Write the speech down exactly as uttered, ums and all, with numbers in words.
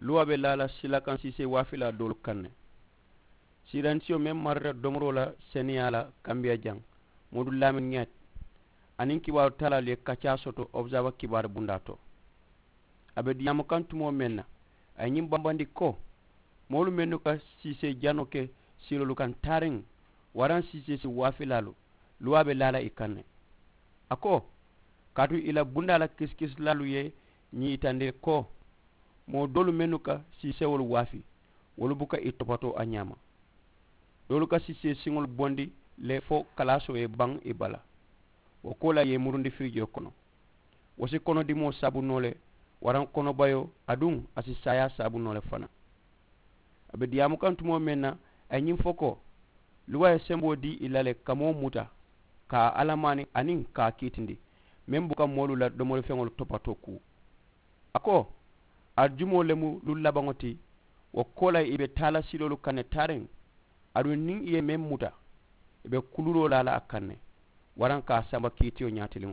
Luwaa be laa la silakansiisee waafilaa doolu kaŋ ne. Siiransiyo meŋ marita domoroo la seneyaa la kambiya jaŋ, moodu laamin ŋeet, aniŋ kibaaru taalaalu ye kaccaa soto observa kibaaru bundaa to. A be diyaamu kaŋ tumoo meŋ na, a ye ñiŋ bambandi ko, moolu mennu ka siisee janoo ke siiloolu kaŋ taariŋ, waraŋ siisee si waafilaalu, luwaa be laa la i kaŋ ne. A ko, kaatu i la bundaa la kisikisilaalu ye ñiŋ yitandi ko, moo doolu mennu ka siisewolu waafi, wolu buka i topatoo a ñaama. Doolu ka siisee siŋolu bondi le fo kalaasoo ye baŋ i bala. Wo koolaa ye i murundi firijoo kono. Wo si konodimoo saabu noo le, waraŋ konobayoo, aduŋ a si saayaa saabu noo le fanaa. A be diyaamu kaŋ tumoo meŋ na, a ye ñiŋ fo ko, luwaa ye semboo dii i la le ka moo muta, ka a alamaani aniŋ ka a kiitindi, meŋ buka moolu la domorifeŋolu topatoo kuu. A ko, ali jumoo le mu luŋ labaŋo ti. Wo koolaa i be taa la siloolu kaŋ ne taariŋ, aduŋ niŋ i ye meŋ muta, i be kuluroo laa la a kaŋ ne, waraŋ ka a samba kiitiyo ñaatiliŋ.